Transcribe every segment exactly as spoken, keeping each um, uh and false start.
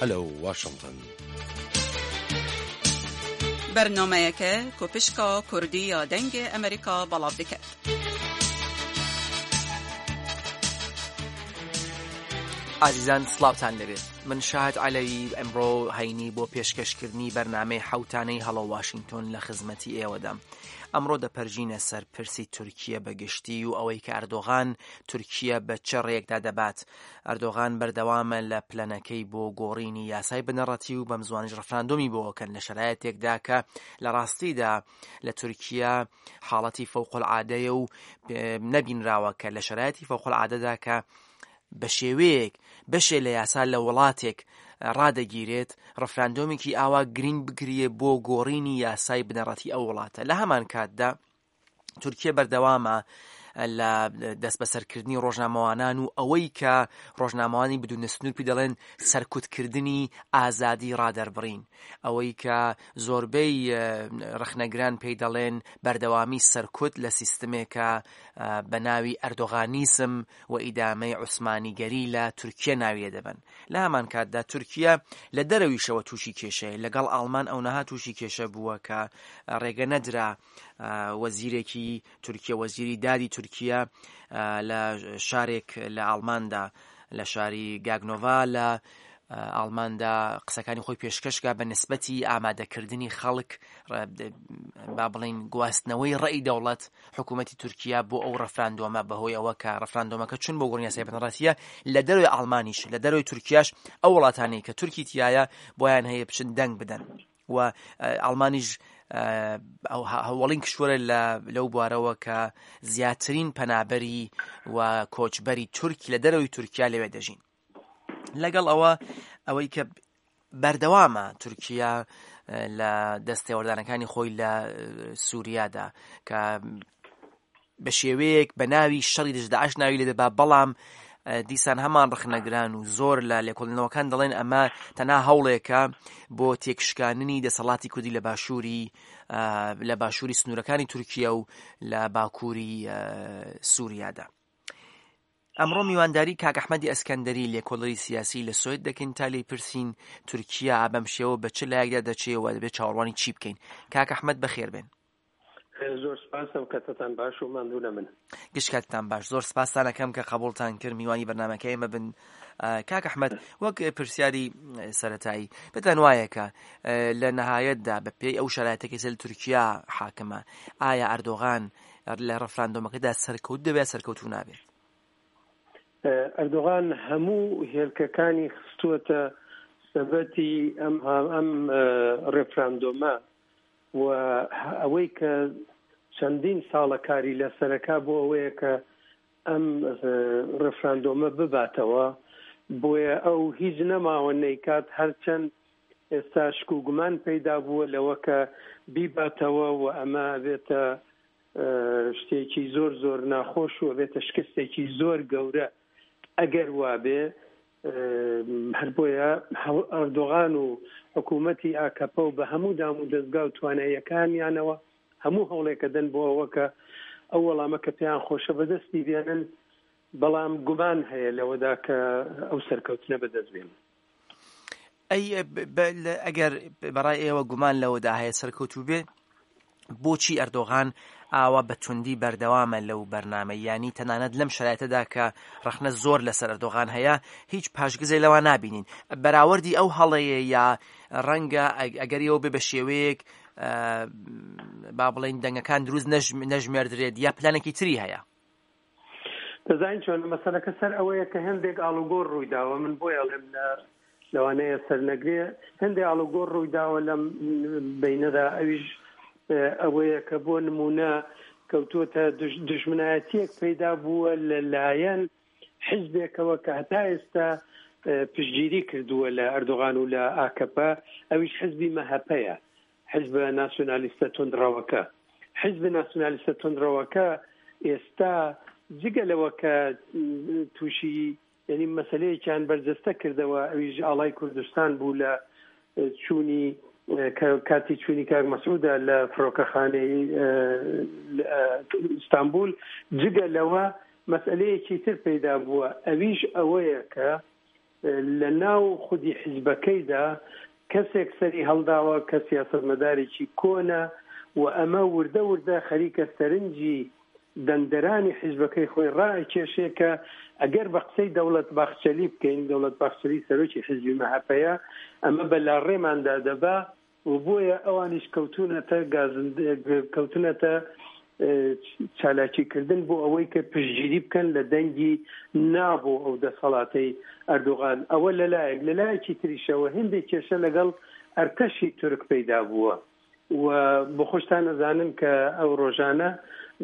Hello Washington. Bernameyeke ku pişka Kurdî ya Dengê Amerîka belav dike. ئازیزان سڵاوتان لەبێت. من شاهد عەلەوی ئەمڕۆ هەینی بۆ پێشکەشکردنی بەرنامەی حەوتانەی هەڵۆ واشنگتۆن لە خزمەتی ئێوەدام. ئەمڕۆ دەپەرژینە سەر پرسی تورکیە بە گشتی و ئەوەی کە ئەردۆغان تورکیە بە چ ڕێکدا دەبات. ئەردۆغان بەردەوامە لە پلەنەکەی بۆ گۆڕینی یاسای بنەڕەتی و بەم زوانیش ڕفراندۆمی بۆکەن لە شەرایەتێکدا کە لە ڕاستیدا لە تورکیا حاڵەتی فەوق العادەیە و نەبینراوە کە لە شەرایەتی فەوق العادەدا کە بە شێوەیەک بەشێ لە یاسا لە وڵاتێک ڕادەگیرێت ڕفراندۆمێکی ئاوا گرنگ بگریە بۆ گۆڕینی یاسای بنەڕەتی ئەو وڵاتە. لە هەمان کاتدا تورکیا بەردەوامە لە دەستبەسەرکردنی ڕۆژنامەوانان و ئەوەی کە ڕۆژنامەوانی بدون سنوور پێ دەڵێن سەرکوتکردنی ئازادی ڕادەربڕین، ئەوەی کە زۆربەی ڕەخنەگران پێی دەڵێن بەردەوامی سەرکوت لە سیستمێکە بە ناوی ئەردۆغانیسم و ئیدامەی عوسمانیگەری لە تورکیا ناوی لێ دەبەن. لە هەمان کاتدا تورکیا لە دەرەویشەوە تووشی کێشەیە، لەگەڵ ئاڵمان ئەو نەها تووشی کێشە بووە کە ڕێگە نەدرا وەزیرێکی تورکیا، وەزیری دادی تورکیا لە شارێک لە ئاڵماندا، لە شاری گاگنۆڤا لە ئاڵماندا قسەکانی خۆی پێشکەشکا بە نسبەتی ئامادەکردنی خەڵک، با بڵین گواستنەوەی ڕێی دەوڵەت حکوومەتی تورکیا بۆ ئەو ڕفراندۆمە، بەهۆی ئەوە کە ڕفراندۆمەکە چون بۆ گۆڕینی یاسای بنەڕەتیە لە دەرەوەی ئاڵمانیش لە دەرەوەی تورکیاش ئەو وڵاتانەی کە تورکی تایە بۆیان هەیە بچن دەنگ بدەن و ئاڵمانیش هەوڵین کشوەرە لەو بوارەوە کە زیاترین پەنابەری و کۆچبەری تورکی لە دەرەوەی تورکیا لەوێ دەژین. لەگەڵ ئەوە ئەوەی کە بەردەوامە تورکیا لە دەستێوەردانەکانی خۆی لە سووریادا کە بە شێوەیەک بە ناوی شەڕی دژ داعش ناوی لێ دەبا، بەڵام دیسان هەمان ڕەخنەگران و زۆر لە لێکۆڵینەوەکان دەڵێن ئەمە تەنها هەوڵێکە بۆ تێکشکاندنی دەسەڵاتی کوردی لە باشووری لە باشووری سنوورەکانی تورکیا و لە باکووری سووریادا. ئەمڕۆ میوانداری کاک ئەحمەدی ئەسکەندەری لێکۆڵەری سیاسی لە سوێد دەکەین تا لێی پرسین تورکیا بەم شێوە بە چ لایەکدا دەچێ و دەبێت چاوەڕوانی چی بکەین. کاک ئەحمەد بەخێر بێن. زۆر سپاسم، کاتتان باش و ماندوو نەبن. گشت کاتتان باش. زۆر سپاستان ئەکەم کە قبوڵتان کرد میوانی بەرنامەکە ئێمە بن. کاک ئەحمەد، وەک پرسیاری سەرەتایی پێتان وایە کە لە نەهایەتدا بە پێی ئەو شەرایەتە کە لە تورکیا حاکمە، ئایا ئەردۆغان لە ڕفراندۆمەکەدا سەرکەوت دەبێت سەرکەوتوو نابێت؟ ئەردۆغان هەموو هێلکەکانی خستووەتە سەبەتی ئەم ئەم ڕێفراندۆمە و ئەوەی کە چەندین ساڵە کاری لەسەرەکا بۆ ئەوەیە کە ئەم ڕێفراندۆمە بباتەوە، بۆیە ئەو هیچ نەماوە نەیکات، هەرچەند ئێستا شک و گومان پەیدا بووە لەوە کە بیباتەوە و ئەمە بێتە شتێکی زۆر زۆر ناخۆش و بێتە شکستێکی زۆر گەورە ئەگەر وابێ. هەر بۆیە ئەردۆغان و حکوومەتی ئاکەپە و بە هەموو دام و دەستگا و تواناییەکانیانەوە هەموو هەوڵێکە دەن بۆ ئەوە کە ئەو وەڵامە کە پێیان خۆشە بەدەستی بێنن، بەڵام گومان هەیە لەوەدا کە ئەو سەرکەوتنە بەدەست بێنن. ئەی ئەگەر بەڕای ئێوە گومان لەوەدا هەیە سەرکەوتوو بێ، بۆچی ئەردۆغان ئاوا بە توندی بەردەوامە لەو بەرنامە؟ یانی تەنانەت لەم شەرایەتەدا کە ڕەخنە زۆر لەسەر ئەردۆغان هەیە هیچ پاشگزێ لەوە نابینین. بەراوردی ئەو هەڵەیە یا ڕەنگە ئەگەر ئێوە بێ بە شێوەیەک با بڵێن دەنگەکان دروست نەژمێردرێت یا پلانێکی تری هەیە؟ دەزانین چۆن مەسەلەکە سەر ئەوەیە کە هەندێک ئاڵوگۆڕ ڕوویداوە. من بۆی ئەڵێم لە لەوانەیە سەر نەگرێ، هەندێک ئاڵوگۆڕ ڕوویداوە لەم بینەدا، ئەویش ئەوەیە کە بۆ نمونە کەوتووەتە دژمنایەتیەک پەیدا بووە لەلایەن حیزبێکەوە کە هەتا ئێستا پشتگیری کردووە لە ئەردۆغان و لە ئاکەپە، ئەویش حیزبی مەهەپەیە، حیزب ناسیۆنالیستە توندڕەوەکە. حیزب ناسیۆنالیستە توندڕەوەکە ئێستا جگە لەوە کە تووشی یعنی مەسلەیەکیان بەرجەستە کردەوە، ئەویش ئاڵای کوردستان بوو لە چوونی کاتی چوونی کاک مەسعودە لە فڕۆکەخانەی ئیستانبول. جگە لەوە مەسئلەیەکی تر پەیدا بووە، ئەویش ئەوەیە کە لە ناو خودی حیزبەکەیدا کەسێک سەری هەڵداوە کە سیاسەتمەدارێکی کۆنە و ئەمە وردە وردە خەریکە سەرنجی دەنگدەرانی حیزبەکەی خۆی ڕائەکێشێ کە ئەگەر بە قسەی دەوڵەت باخچەلی بکەین، دەوڵەت باخچەلی سەرۆکی حیزبی مەهەپەیە، ئەمە بە لاڕێماندا دەبا و بۆیە ئەوانیش کەوتونەتە کەوتونەتە چالاکیکردن بۆ ئەوەی کە پشتگیری بکەن لە دەنگی نا بۆ ئەو دەسەڵاتەی ئەردۆغان. ئەوە لەلایەک، لەلایەکی تریشەوە هەندێک کێشە لەگەڵ ئەرتەشی تورک پەیدا بووە و بۆ خۆشتان ئەزانن کە ئەو ڕۆژانە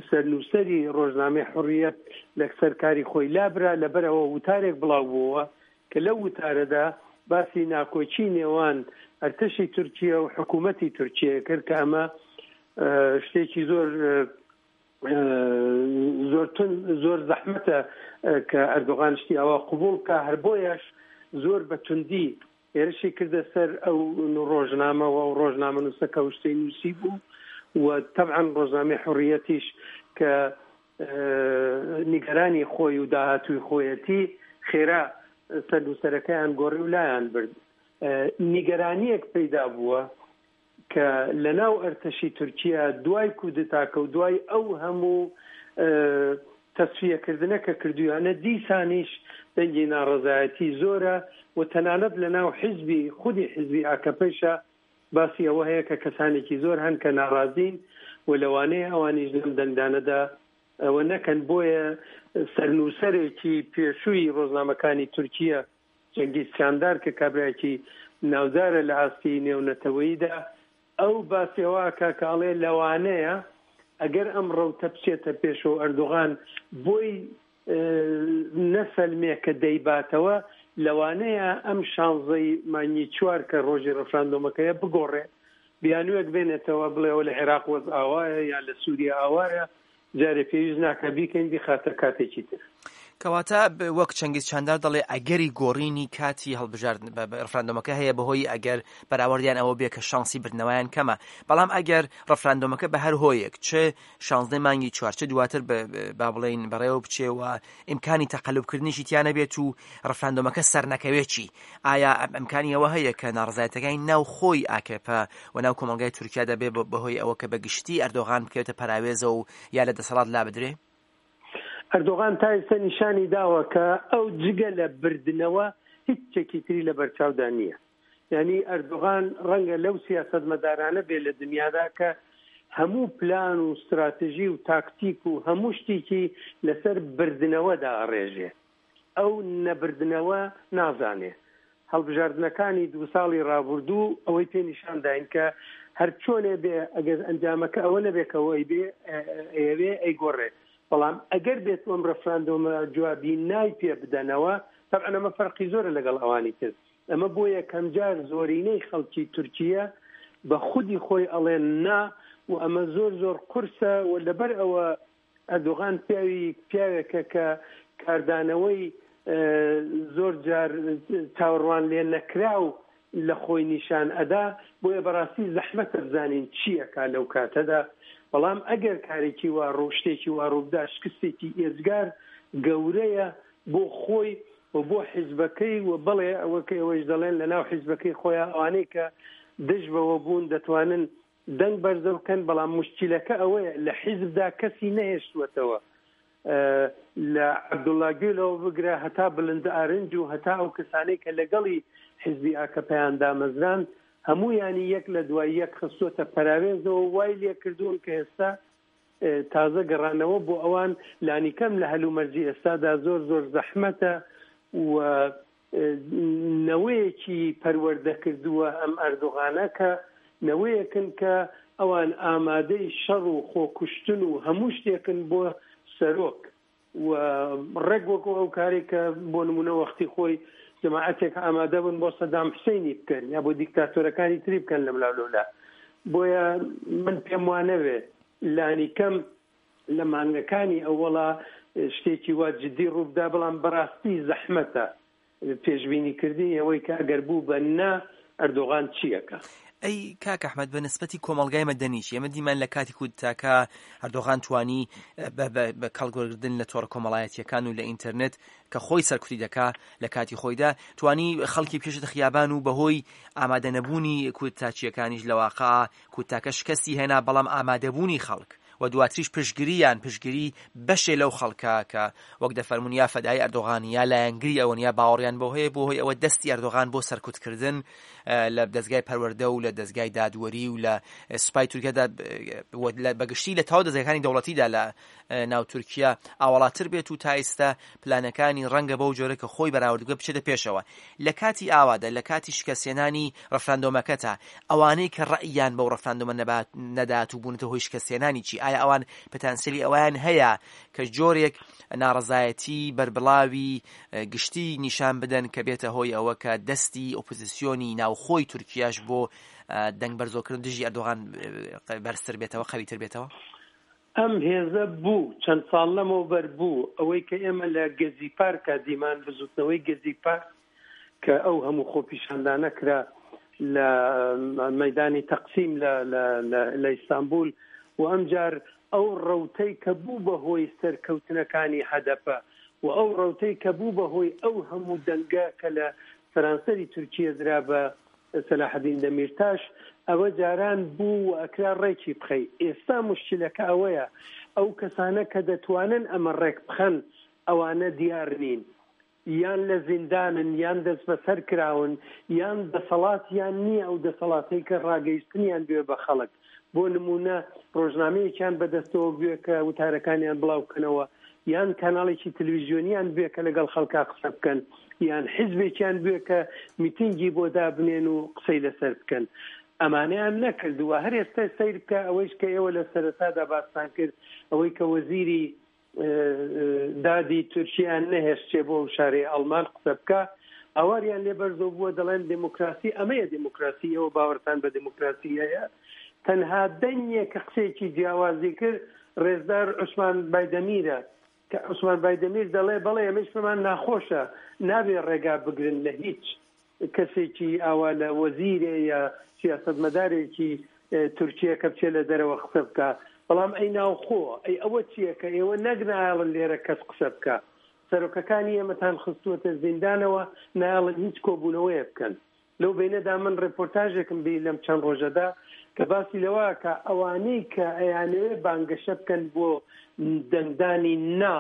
سەرنووسەری ڕۆژنامەی حوڕیەت لەسەر کاری خۆی لابرا، لەبەرەوە وتارێک بڵاو بووەوە کە لەو وتارەدا باسی ناکۆکی نێوان ئەرتەشی تورکیا و حکوومەتی تورکیا کرد کە ئەمە شتێکی زۆر زۆر زۆر زەحمەتە کە ئەردۆغان شتی ئەوە قبوڵ بکە. هەر بۆیەش زۆر بە توندی هێرشی کردە سەر ئەو ڕۆژنامەوە و ڕۆژنامەنووسەکە و شتەی نووسی بوو و تەبعەن ڕۆژنامەی حوڕیەتیش کە نیگەرانی خۆی و داهاتووی خۆیەتی خێرا سەرنووسەرەکەیان گۆڕی و لایان برد. نیگەرانیەک پەیدا بووە کە لەناو ئەرتەشی تورکیا دوای کودتاکە و دوای ئەو هەموو تەسفیەکردنە کە کردویانە دیسانیش دەنگی ناڕەزایەتی زۆرە و تەنانەت لەناو حیزبی خودی حیزبی ئاکەپەیشە باسی ئەوە هەیە کە کەسانێکی زۆر هەن کە ناڕازین و لەوانەیە ئەوانیش لەم دەنگدانەدا ئەوە نەکەن. بۆیە سەرنووسەرێکی پێشووی ڕۆژنامەکانی تورکیا جەنگیز چاندار کە کابرایەکی ناودارە لە ئاستی نێونەتەوەییدا ئەو باسی ئەوە ئەکا کە ئەڵێ لەوانەیە ئەگەر ئەم ڕەوتە بچێتە پێشەوە ئەردۆغان بۆی نەسەلمێ کە دەیباتەوە، لەوانەیە ئەم شانزەی مانگی چوار کە ڕۆژی ڕفراندۆمەکەیە بگۆڕێ، بیانوویەک بێنێتەوە بڵێەوە لە عێراق وەز ئاوایە یا لە سووریا ئاوایە، جارێ پێویست ناکە بیکەین بیخاتە کاتێکی تر. کەواتە وەک چەنگیز چاندار دەڵێ ئەگەری گۆڕینی کاتی هەڵبژاردن ڕفراندۆمەکە هەیە بەهۆی ئەگەر بەراوردیان ئەوە بێ کە شانسی بردنەوەیان کەمە، بەڵام ئەگەر ڕفراندۆمەکە بە هەر هۆیەک چ شانزدە مانگی چوار چ دواتر با بڵێین بەڕێوە بچێ و ئیمکانی تەقەلوبکردنیشی تیا نەبێت و ڕفراندۆمەکە سەرنەکەوێت چی؟ ئایا ئەمکانی ئەوە هەیە کە ناڕەزایەتەکانی ناو خۆی ئاکەپە و ناو کۆمەڵگای تورکیا دەبێ بەهۆی ئەوە کە بەگشتی ئەردۆغان بکەوێتە پەراوێزە و یا لە دەسەڵات لا بدرێ؟ ئەردۆغان تا ئێستا نیشانی داوە کە ئەو جگە لە بردنەوە هیچ شتێکی تری لە بەرچاودا نییە. یعنی ئەردۆغان ڕەنگە لەو سیاسەتمەدارانە بێ لە دنیادا کە هەموو پلان و استراتژی و تاکتیک و هەموو شتێکی لەسەر بردنەوەدا ئەڕێژێ، ئەو نەبردنەوە نازانێ. هەڵبژاردنەکانی دوو ساڵی ڕابردوو ئەوەی پێ نیشان داین کە هەر چۆنێ بێ ئەگەر ئەنجامەکە ئەوە نەبێ کە ئەوەی بێ ئەیەوێ ئەیگۆڕێ، بەڵام ئەگەر بێت ئەم ڕفراندۆمە جوابی نای پێ بدەنەوە، طبعا ئەمە فەرقی زۆرە لەگەڵ ئەوانی تر. ئەمە بۆ یەکەمجار زۆرینەی خەڵکی تورکیا بە خودی خۆی ئەڵێن نا و ئەمە زۆر زۆر قورسە و لەبەر ئەوە ئەردۆغان پیاوی پیاوێکە کە کاردانەوەی زۆر جار چاوەڕوان لێ نەکراو لە خۆی نیشان ئەدا، بۆیە بەڕاستی زەحمەتە بزانین چییەکا لەو کاتەدا. بەڵام ئەگەر کارێکی وا ڕوو شتێکی وا ڕووبدا شکستێکی ئێجگار گەورەیە بۆ خۆی و بۆ حیزبەکەی و بەڵێ ئەوە کە ئێوەش دەڵێن لەناو حیزبەکەی خۆیان ئەوانەی کە دژ بەوە بوون دەتوانن دەنگ بەرزە بکەن، بەڵام مشکلەکە ئەوەیە لە حیزبدا کەسی نەهێشتووەتەوە، لە عەبدوڵڵا گوێلەوە بگرە هەتا بلند ئارنج و هەتا ئەو کەسانەی کە لەگەڵی حیزبی ئاکەپەیان دامەزران هەموویانی یەک لە دوای یەک خستووەتە پەراوێزەوە، وای لێکردوون کە ئێستا تازە گەڕانەوە بۆ ئەوان لانیکەم لە هەلومەرجی ئێستادا زۆر زۆر زەحمەتە و نەوەیەکی پەروەردە کردووە ئەم ئەردۆغانە کە نەوەیەکن کە ئەوان ئامادەی شەڕ و خۆکوشتن و هەموو شتێکن بۆ سەرۆک و ڕێک وەکو ئەو کارێک کە بۆ نمونە وەختی خۆی جەماعەتێک ئامادە بوون بۆ سەدام حوسێنی بکەن یا بۆ دیکتاتۆرەکانی تری بکەن لەملاولەولا. بۆیە من پێم وانەوێ لانیکەم لە مانگەکانی ئەوەڵا شتێکی وا جدی ڕووبدا، بەڵام بەڕاستی زەحمەتە پێشبینیکردنی ئەوەی کە ئەگەر بوو بە نا ئەردۆغان چییەکە. ئەی کاک ئەحمەد، بە نسبەتی کۆمەڵگای مەدەنیش ئێمە دیمان لە کاتی کودتاکە ئەردۆغان توانی بە کەڵک وەرگرتن لە تۆڕە کۆمەڵایەتییەکان و لە ئینتەرنێت کە خۆی سەرکوتی دەکا لە کاتی خۆیدا توانی خەڵکی بکێشێتە خیابان و بەهۆی ئامادەنەبوونی کودتاچییەکانیش لە واقع کودتاکە شکستی هێنا، بەڵام ئامادەبوونی خەڵک و دواتریش پشتگیریان پشتگیری بەشێ لەو خەڵکە کە وەک دەفەرموون یا فەدای ئەردۆغان یا لایەنگری ئەوەن یا باوەڕیان بۆ هەیە، بۆ هۆی ئەوە دەستی ئەردۆغان بۆ سەرکوتکردن لە دەزگای پەروەردە و لە دەزگای دادوەری و لە سوپای تورکیادا بەگشتی لە تەواو دەزگاکانی دەوڵەتیدا لە ناو تورکیا ئاوەڵاتر بێت و تا ئێستا پلانەکانی ڕەنگە بەو جۆرە کە خۆی بەراورد بکە بچێتە پێشەوە. لە کاتی ئاوادا، لە کاتی شکستهێنانی ڕفراندۆمەکەتا، ئەوانەی کە ڕەئیان بەو ڕفراندۆمە نەدات و بوونەتە هۆی شکستهێنانی چی؟ ئایا ئەوان پتانسیلی ئەویان هەیە کە جۆرێک ناڕەزایەتی بەربڵاوی گشتی نیشان بدەن کە بێتە هۆی ئەوە کە دەستی ئۆپۆزیسیۆنی ناوخۆی تورکیاش بۆ دەنگ بەرزۆکردن دژی ئەردۆغان بەرزتر بێتەوە، قەویتر بێتەوە؟ ئەم هێزە بوو چەند ساڵ لەمەوبەر بوو ئەوەی کە ئێمە لە گەزی پارکا دیمان، بزوتنەوەی گەزی پارک کە ئەو هەموو خۆپیشاندانە کرا لە مەدانی تەقسیم لە ئیستانبول و ئەمجار ئەو ڕەوتەی کە بوو بە هۆی سەرکەوتنەکانی هەدەپە و ئەو ڕەوتەی کە بوو بە هۆی ئەو هەموو دەنگە کە لە سەرانسەری تورکیە درا بە سەلاحەدین دەمیرتاش، ئەوە جاران بوو و ئەکرا ڕێکی بخەی. ئێستا مشکلەکە ئەوەیە ئەو کەسانە کە دەتوانن ئەمە ڕێک بخەن ئەوانە دیار نین، یان لە زیندانن، یان دەست بەسەر کراون، یان دەسەڵاتیان نییە ئەو دەسەڵاتەی کە ڕاگەیشتنیان بوێ بە خەڵک. بۆ نمونە ڕۆژنامەیەکیان بەدەستەوە بوێ کە وتارەکانیان بڵاو بکەنەوە، یان کەناڵێکی تەلەڤیزیۆنیان بوێ کە لەگەڵ خەڵکا قسە بکەن، یان حیزبێکیان بوێ کە میتینگی بۆ دابنێن و قسەی لەسەر بکەن. ئەمانەیان نەکردووە. هەر ئێستا سەیر بکە ئەوەیش کە ئێوە لە سەرەتادا باستان کرد، ئەوەی کە وەزیری دادی تورکیان نەهێشتێ بۆ شارەی ئەڵمان قسە بکە، ئاواریان لێ بەرزەوە بووە، دەڵێن دێموکراسی ئەمەیە دێموکراسی، ئێوە باوەڕتان بە دێموکراسی هەیە؟ تەنها دەنگێ کە قسەیەکی جیاوازی کرد ڕێزدار عوسمان بایدەمیرە، کە عوسمان بایدەمیر دەڵێ بەڵێ ئەمەش پێمان ناخۆشە، نابێ ڕێگا بگرن لە هیچ کەسێکی ئاوا لە وەزیرێ یا سیاسەتمەدارێکی تورکیە کە بچێ لە دەرەوە قسە بکە. بەڵام ئەی ناوخۆ، ئەی ئەوە چییە کە ئێوە نەک نایەڵن لێرە کەس قسە بکە، سەرۆکەکانی ئێمەتان خستووەتە زیندانەوە، نایەڵن هیچ کۆبوونەوەیە بکەن. لەو بینەدا من ڕێپۆرتاژێکم بی لەم چەند ڕۆژەدا کە باسی لەوە کە ئەوانەی کە ئەیانەوێ بانگەشە بکەن بۆ دەنگدانی نا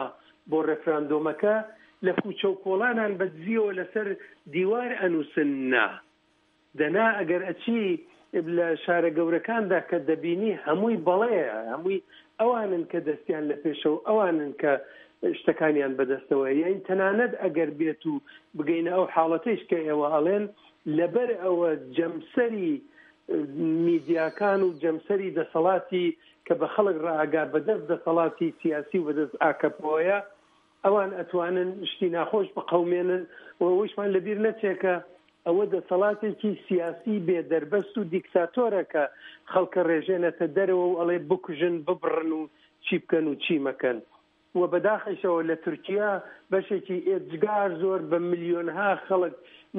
بۆ ڕێفراندۆمەکە لە کوچە و کۆڵانان بەدزیەوە لەسەر دیوار ئەنووسن نا. دەنا ئەگەر ئەچی لە شارە گەورەکاندا کە دەبینی هەمووی بەڵێ، هەمووی ئەوانن کە دەستیان لە پێشەوە، ئەوانن کە شتەکانیان بەدەستەوە. یعنی تەنانەت ئەگەر بێت و بگەینە ئەو حاڵەتەیش کە ئێوە ئەڵێن، لەبەر ئەوە جەمسەری میدیاکان و جەمسەری دەسەڵاتی کە بە خەڵک ڕائاگا بەدەست دەسەڵاتی سیاسی و بەدەست ئاکەپۆیە، ئەوان ئەتوانن شتی ناخۆش بقەومێنن و ئەوەیشمان لەبیر نەچێ کە ئەوە دەسەڵاتێکی سیاسی بێدەربەست و دیکتاتۆرە کە خەڵکە ڕێژێنەتە دەرەوە و ئەڵێ بکوژن، ببڕن و چی بکەن و چی مەکەن. و بەداخیشەوە لە تورکیا بەشێکی ئێجگار زۆر بە ملیۆنها خەڵک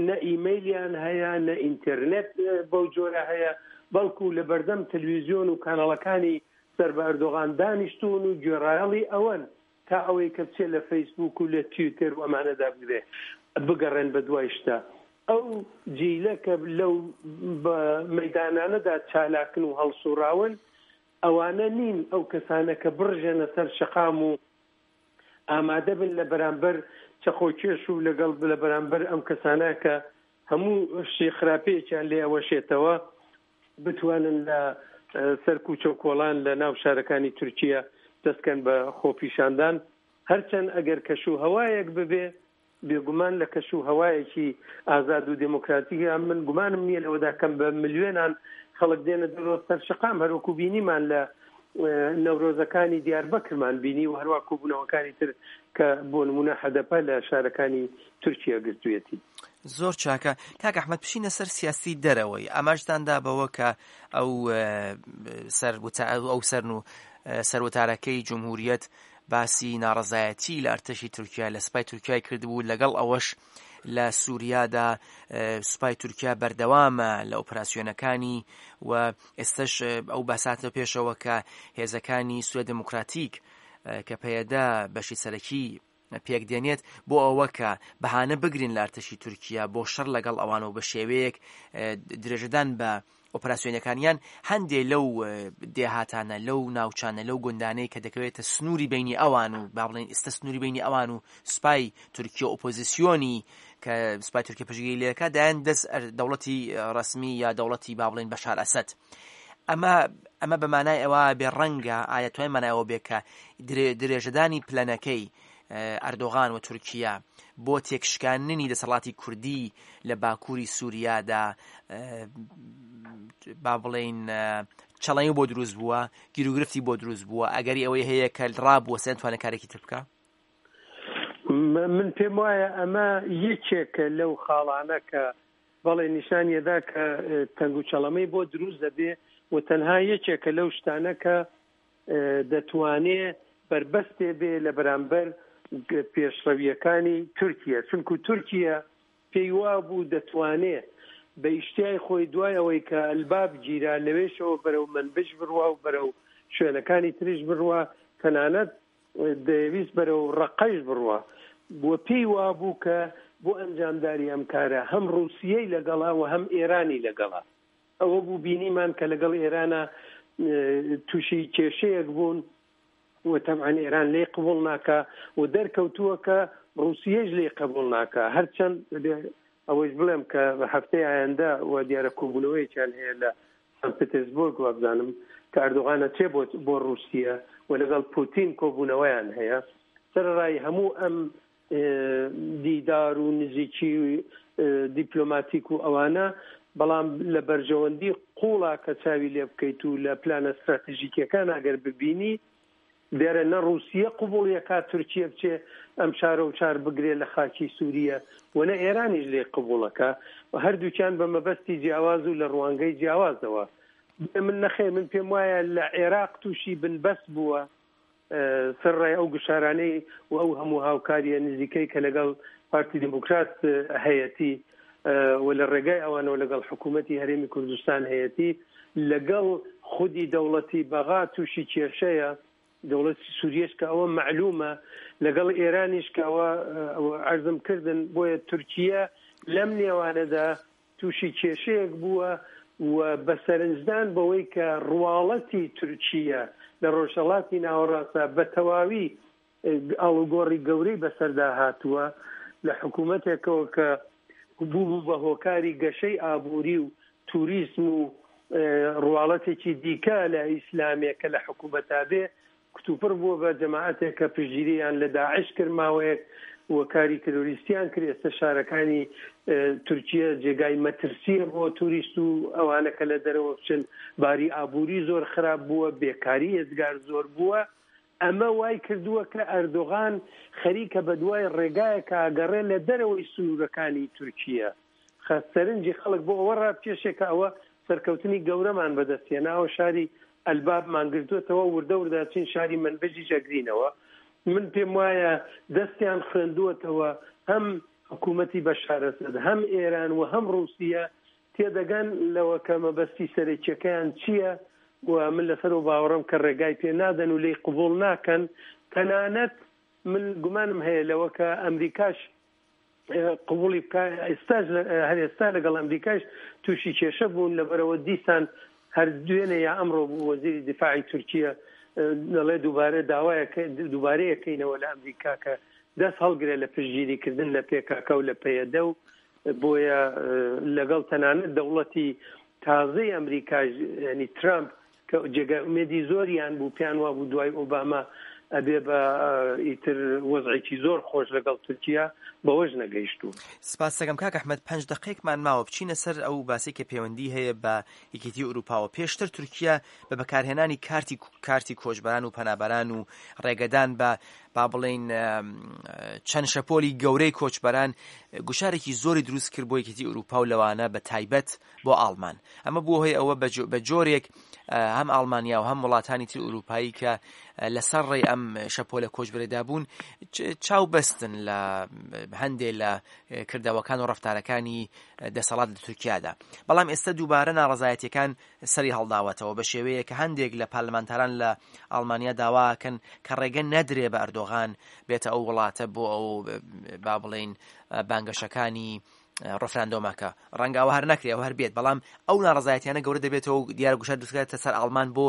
نە ئیمەیلیان هەیە، نە ئینتەرنێت بەو جۆرە هەیە، بەڵکو لە بەردەم تەلویزیۆن و کاناڵەکانی سەر بە ئەردۆغان دانیشتون و گوێڕایەڵی ئەوەن تا ئەوەی کە بچێت لە فەیسبوک و لە تویتەر و ئەمانەدا بگرێ بگەڕێن بە دوای شتە. ئەو جیلە کە لەو مەدانانەدا چالاکن و هەڵسوڕاون ئەوانە نین ئەو کەسانە کە بڕژێنە سەر شەقام و ئامادە بن لە بەرامبەر چەقۆکێش و لەگەڵ لە بەرامبەر ئەم کەسانە کە هەموو شتی خراپەیەکیان لێ ئەوەشێتەوە بتوانن لە سەر کوچە و کۆڵان لە ناو شارەکانی تورکیا دەستکەن بە خۆپیشاندان. هەرچەند ئەگەر کەش و هەوایەک ببێ، بێگومان لە کەش و هەوایەکی ئازاد و دێموکراتیکە من گومانم نییە لەوەدا کەم بە ملیۆنان خەڵک دێنە دەرەوە سەر شەقام، هەروەکو بینیمان لە نەورۆزەکانی دیاربەکرمان بینی و هەروە کۆبوونەوەکانی تر کە بۆ نمونە هەدەپە لە شارەکانی تورکیا گرتوویەتی. زۆر چاکە کاک ئەحمەد، بچینە سەر سیاسی دەرەوەی. ئاماژتاندا بەوە کە ئەو سەر ئەو سەرن و سەروتارەکەی جمهوریەت باسی ناڕەزایەتی لە ئەرتەشی تورکیا لە سپای تورکیای کردبوو، لەگەڵ ئەوەش لە سووریادا سوپای تورکیا بەردەوامە لە ئۆپراسیۆنەکانی و ئێستش ئەو باساتە پێشەوە کە هێزەکانی سووریا دێموکراتیک کە پەیەدە بەشی سەرەکی پێک دێنێت بۆ ئەوە کە بەهانە بگرن لە ئەرتەشی تورکیا بۆ شەڕ لەگەڵ ئەوان و بە شێوەیەک درێژەدان بە ئۆپراسیۆنەکانیان، هەندێ لەو دێهاتانە، لەو ناوچانە، لەو گوندانەی کە دەکەوێتە سنووری بینی ئەوان و با بڵێن ئێستا سنووری بینی ئەوان و سوپای تورکیا ئۆپۆزیسیۆنی کە سوپای تورکیا پشتگیری لێ دەکات دایان دەست دەوڵەتی ڕەسمی یا دەوڵەتی با بڵێن بەشار ئەسەد. ئەمە ئەمە بە مانای ئەوە بێ ڕەنگە ئایا توای مانای ئەوە بێ کە درێژەدانی پلەنەکەی ئەردۆغان و تورکیا بۆ تێکشکاندنی دەسەڵاتی کوردی لە باکووری سووریادا با بڵێین چەڵەی بۆ دروست بووە، گیروگرفتی بۆ دروست بووە، ئەگەری ئەوەی هەیە کە ڕابووە سێن توانێت کارێکی تر بکە؟ من پێم وایە ئەمە یەکێکە لەو خاڵانە کە بەڵێ نیشانیەدا کە تەنگ و چەڵەمەی بۆ دروست دەبێ و تەنها یەکێکە لەو شتانە کە دەتوانێ بەربەستێ بێ لە بەرامبەر پێشڕەویەکانی تورکیا، چونکو تورکیا پێی وابوو دەتوانێ بە ئیشتیای خۆی دوای ئەوەی کە ئەلباب گیرا لەوێشەوە بەرەو منبج بڕوا و بەرەو شوێنەکانی تریش بڕوا، تەنانەت دەیەویست بەرەو ڕەقەش بڕوا و پێی وابوو کە بۆ ئەنجامداری ئەم کارە هەم ڕووسیەی لەگەڵا و هەم ئێرانی لەگەڵا. ئەوە بوو بینیمان کە لەگەڵ ئێرانە تووشی کێشەیەک بوون و تەبعەن ئێران لێی قبوڵ ناکا و دەرکەوتووە کە ڕووسیەش لێی قبوڵ ناکا. هەرچەند ئەوەش بڵێم کە هەفتەی ئایندە و دیارە کۆبوونەوەیەکیان هەیە لە سان پترسبۆرگ وابزانم کە ئەردۆغانە چێ بۆ ڕووسیە و لەگەڵ پوتین کۆبوونەوەیان هەیە. سەرەڕای هەموو ئەم دیدار و نزیکی دیپلۆماتیک و ئەوانە، بەڵام لە بەرژەوەندی قوڵا کە چاوی لێ بکەیت و لە پلانە استراتژیکیەکان ئەگەر ببینی دیارە نە ڕووسیە قبوڵیەکات تورکیە بچێ ئەم شارە و چار بگرێ لە خاکی سووریە و نە ئێرانیش لێ قبوڵەکە، هەردووکیان بە مەبەستی جیاواز و لە ڕوانگەی جیاوازەوە. من نەخێر من پێم وایە لە عێراق تووشی بنبەست بووە سەرڕای ئەو گوشارانەی و ئەو هەموو هاوکاریە نزیکەی کە لەگەڵ پارتی دیموکرات هەیەتی و لە ڕێگای ئەوانەوە لەگەڵ حکوومەتی هەرێمی کوردستان هەیەتی، لەگەڵ خودی دەوڵەتی بەغا تووشی کێشەیە، دەوڵەتی سووریەش کە ئەوە مەعلومە، لەگەڵ ئێرانیش کە ئەوە عەرزم کردن. بۆیە تورکیا لەم نێوانەدا تووشی کێشەیەک بووە و بە سەرنجدان بەوەی کە ڕواڵەتی تورکیا لە ڕۆژهەڵاتی ناوەڕاستدا بە تەواوی ئاڵوگۆڕی گەورەی بەسەردا هاتووە، لە حکوومەتێکەوە کە بوو بوو بە هۆکاری گەشەی ئابووری و توریسم و ڕواڵەتێکی دیکە لە ئیسلامێک کە لە حکوومەتا بێ، کتوپڕ بووە بە جەماعەتێک کە پشتگیریان لە داعش کرد ماوەیەک و کاری ترۆریستیان کرد. ئێستا شارەکانی تورکیا جێگای مەترسیە بۆ توریست و ئەوانە کە لە دەرەوە بچن، باری ئابووری زۆر خراپ بووە، بێکاری ئێزگار زۆر بووە. ئەمە وای کردووە کە ئەردۆغان خەریکە بە دوای ڕێگایەکە ئەگەڕێ لە دەرەوەی سنوورەکانی تورکیا، سەرنجی خەڵک بۆ ئەوە ڕابکێشێ کە ئەوە سەرکەوتنی گەورەمان بەدەستهێناوە، شاری ئەلبابمان گرتووەتەوە، وردە وردە چین شاری منبجیش ئەگرینەوە. من پێم وایە دەستیان خوێندووەتەوە هەم حکوومەتی بەشار ئەسەد، هەم ئێران و هەم ڕووسیە تێدەگەن لەوە کە مەبەستی سەرەکیەکەیان چییە و من لەسەر و باوەڕم کە ڕێگای پێ نادەن و لێی قبوڵ ناکەن. تەنانەت من گومانم هەیە لەوە کە ئەمریکاش قبوڵی بکە، ئێستاش هەر ئێستا لەگەڵ ئەمریکاش تووشی کێشە بوون. لەبەرەوە دیسان هەر دوێنێ یا ئەمڕۆ بوو وەزیری دیفاعی تورکیا دەڵێ دووبارە داوایە دووبارەیەکەینەوە لە ئەمریکا کە دەست هەڵگرێ لە پشتگیریکردن لە پێکاکە و لە پەیەدە و بۆیە لەگەڵ تەنانەت دەوڵەتی تازەی ئەمریکاش ینی ترامپ کە جێگای ئومێدی زۆریان بوو، پێیان وابوو دوای ئۆباما ئەبێ بە ئیتر وەزعێکی زۆر خۆش لەگەڵ تورکیا، بەوەش نەگەیشتوو. سپاس دەکەم کاک ئەحمەد. پەنج دقیقمان ماوە، بچینە سەر ئەو باسی کە پەیوەندی هەیە بە یەکێتی ئەوروپاوە. پێشتر تورکیا بە بەکارهێنانی کارتی کارتی کۆچبەران و پەنابەران و ڕێگەدان بە با بڵێین چەند شەپۆلی گەورەی کۆچبەران گوشارێکی زۆری دروست کرد بۆ یەکێتی ئەوروپا و لەوانە بە تایبەت بۆ ئاڵمان. ئەمە بووە هۆی ئەوە بە جۆرێک هەم ئاڵمانیا و هەم وڵاتانی تر ئورووپایی کە لەسەر ڕێی ئەم شەپۆلە کۆچبەرێدا بوون چاو بەستن لە هەندێ لە کردەوەکان و ڕەفتارەکانی دەسەڵات لە تورکیادا. بەڵام ئێستا دووبارە ناڕەزایەتیەکان سەری هەڵداوەتەوە بە شێوەیە کە هەندێک لە پارلمانتاران لە ئەڵمانیا داواکەن کە ڕێگە نەدرێ بە ئەردۆغان بێتە ئەو وڵاتە بۆ ئەو با بڵێین بانگەشەکانی ڕفراندۆمەکە. ڕەنگە ئەوە هەر نەکرێ، ئەوە هەر بێت، بەڵام ئەو ناڕەزایەتیانە گەورە دەبێتەوە و دیارە گوشار دروستکاتە سەر ئاڵمان بۆ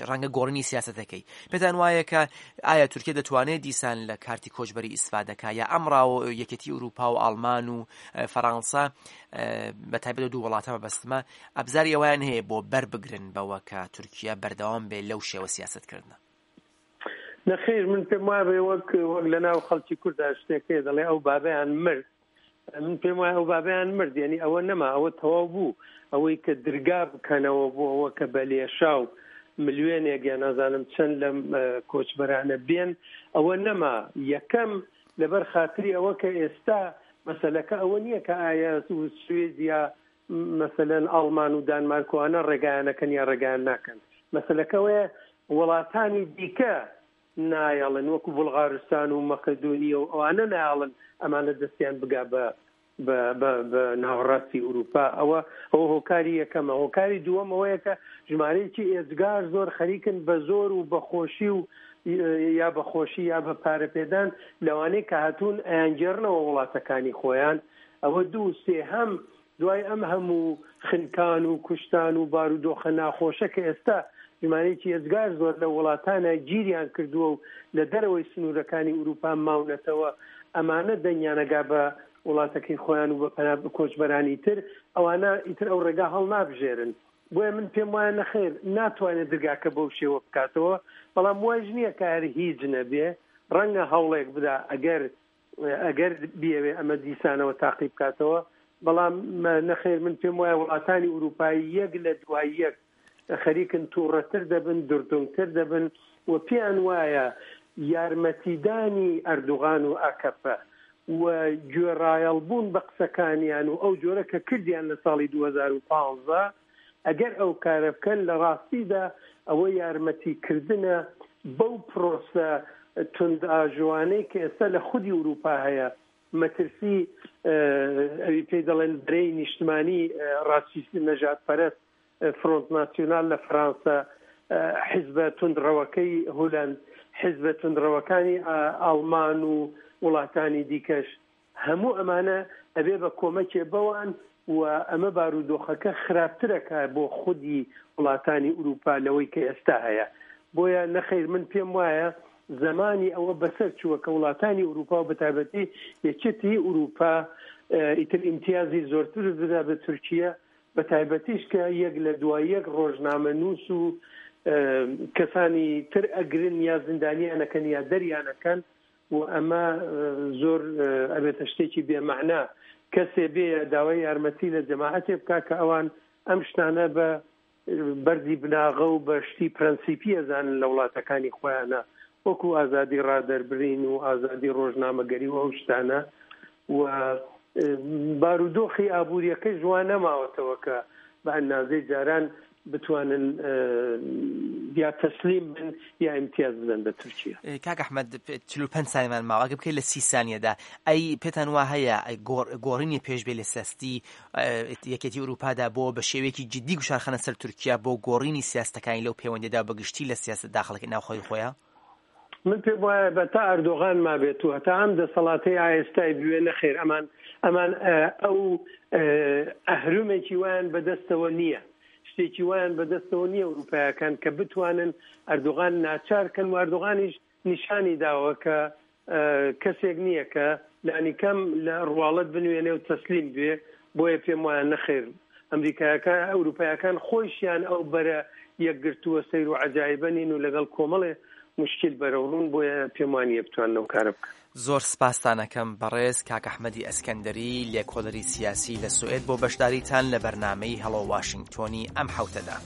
ڕەنگە گۆڕینی سیاسەتەکەی. پێتان وایە کە ئایا تورکیا دەتوانێت دیسان لە کارتی کۆچبەری ئیسفادەکە یا ئەمڕاو یەکێتی ئەوروپا و ئاڵمان و فەڕانسە بە تایبەت دوو وڵاتە مەبەستمە ئەبزاری ئەویان هەیە بۆ بەر بگرن بەوە کە تورکیا بەردەوام بێ لەو شێوە سیاسەتکردنە؟ نەخێر، من پێم وایە وەک وەک لەناو خەڵکی کووردا شتێک دەڵێ ئەو بابەیان مرد. من پێم وایە ئەو بابەیان مرد، یعنی ئەوە نەما، ئەوە تەواو بوو. ئەوەی کە درگا بکەنەوە بۆ ئەوە کە بە لێشاو ملیۆنێک یا نازانم چەند لەم کۆچبەرانە بێن، ئەوە نەما. یەکەم لەبەر خاتری ئەوە کە ئێستا مەسەلەکە ئەوە نییە کە ئایا سوێد یا مەسەلەن ئاڵمان و دانمارکوانە ڕێگایانەکەن یا ڕێگایان ناکەن. مەسەلەکەوەیە وڵاتانی دیکە نایەڵن، وەکو بولغارستان و مەقدۆنیە و ئەوانە نایەڵن ئەمانە دەستیان بگا بە بە ناوەڕاستی ئەوروپا. ئەوە ئەوە هۆکاری یەکەمە. هۆکاری دووەم ئەوەیە کە ژمارەیەکی ئێجگار زۆر خەریکن بە زۆر و بەخۆشی و یا بەخۆشی یا بە پارەپێدان لەوانەیە کە هاتوون ئەیانگێڕنەوە وڵاتەکانی خۆیان. ئەوە دوو. سێهەم دوای ئەم هەموو خنکان و کوشتان و بارودۆخە ناخۆشە کە ئێستا ژمارەیەکی ئێجگار زۆر لە وڵاتانە گیریان کردووە و لە دەرەوەی سنوورەکانی ئەوروپا ماونەتەوە، ئەمانە دەنگیانەگا بە وڵاتەکەی خۆیان و بە پەنا کۆچبەرانی تر، ئەوانە ئیتر ئەو ڕێگا هەڵنابژێرن. بۆیە من پێم وایە نەخێر ناتوانێت درگاکە بەو شێوە بکاتەوە، بەڵام وایش نییە کە هەر هیچ نەبێ، ڕەنگە هەوڵێک بدا ئەگەر ئەگەر بیەوێ ئەمە دیسانەوە تاقی بکاتەوە. بەڵام نەخێر من پێم وایە وڵاتانی ئەوروپایی یەک لە دوای یەک خەریکن تووڕەتر دەبن، دردونگتر دەبن و پێیان وایە یارمەتیدانی ئەردوغان و ئاکەپە و گوێڕایەڵبوون بە قسەکانیان و ئەو جۆرە کە کردیان لە ساڵی دوو هەزار و پازدە، ئەگەر ئەو کارە بکەن لە ڕاستیدا ئەوە یارمەتیکردنە بەو پرۆسە توندئاژوانەی کە ئێستا لە خودی ئەوروپا هەیە. مەترسی ئەوی پێی دەڵێن بەرەی نیشتمانی ڕاستیست نەژادپەرست، فرۆنت ناسیۆنال لە فەرانسە، حیزبە توندڕەوەکەی هولەند، حیزبە توندڕەوەکانی ئاڵمان و وڵاتانی دیکەش، هەموو ئەمانە ئەبێ بە کۆمەکێ بەوان و ئەمە بارودۆخەکە خراپترەکە بۆ خودی وڵاتانی ئەوروپا لەوەی کە ئێستا هەیە. بۆیە نەخەیر من پێم وایە زمانی ئەوە بەسەر چووە کە وڵاتانی ئەوروپا و بەتایبەتی یەکێتی ئەوروپا ئیتر ئیمتیازی زۆرتر بدا بە تورکیا، بە تایبەتیش کە یەک لە دوای یەک ڕۆژنامە نووس و کەسانی تر ئەگرن یا زیندانیانەکەن یا دەریانەکەن و ئەمە زۆر ئەبێتە شتێکی بێمەعنا. کەسێ بێ داوای یارمەتی لە جەماعەتێ بکا کە ئەوان ئەم شتانە بە بەردی بناغە و بە شتی پرەنسیپی ئەزانن لە وڵاتەکانی خۆیانە، وەکو ئازادی ڕادەربرین و ئازادی ڕۆژنامەگەری و ئەو شتانە. و بارودۆخی ئابووریەکەی جوان نەماوەتەوە کە بە ئەندازەی جاران بتوانن یا تەسلیم بن یا ئیمتیاز بدەن بە تورکیا. کاک ئەحمەد چل و پەنج سانیمان ماوە، ئەگەر بکەیت لە سی سانیەدا، ئەی پێتان وا هەیە گۆڕینی پێشبێ لە سیاسەتی یەکێتی ئەوروپادا بۆ بە شێوەیەکی جدی گوشارخەنە سەر تورکیا بۆ گۆڕینی سیاستەکانی لەو پەیوەندیدا بەگشتی لە سیاست داخڵەکەی ناوخۆی خۆیان؟ من پێم وایە بە تا ئەردۆغان مابێت و هەتا ئەم دەسەڵاتەی ئایستای بوێ نەخێر ئەمان ئەمان ئەو ئەهرمێکی وایان بەدەستەوە نییە، شتێکی وایان بەدەستەوە نییە ئەوروپایەکان کە بتوانن ئەردۆغان ناچار کەن. و ئەردۆغانیش نیشانی داوە کە کەسێک نییە کە لانیکەم لە ڕواڵەت بنوێنێ و تەسلیم بێ. بۆیە پێم وایە نەخێر ئەمریکایەکان ئەوروپایەکان خۆیشیان ئەو بەرە یەکگرتووە سەیر و عەجایبە نین و لەگەڵ کۆمەڵێ مشکل بەرەوڕوون، بۆیە پێم وانییە بتوانن ئەو کارە بکەن. زۆر سپاستانەکەم بەڕێز کاک ئەحمەدی ئەسکەندەری، لێکۆڵەری سیاسی لە سوئێد، بۆ بەشداریتان لە بەرنامەی هەڵۆ واشنگتۆنی ئەم حەوتەدا.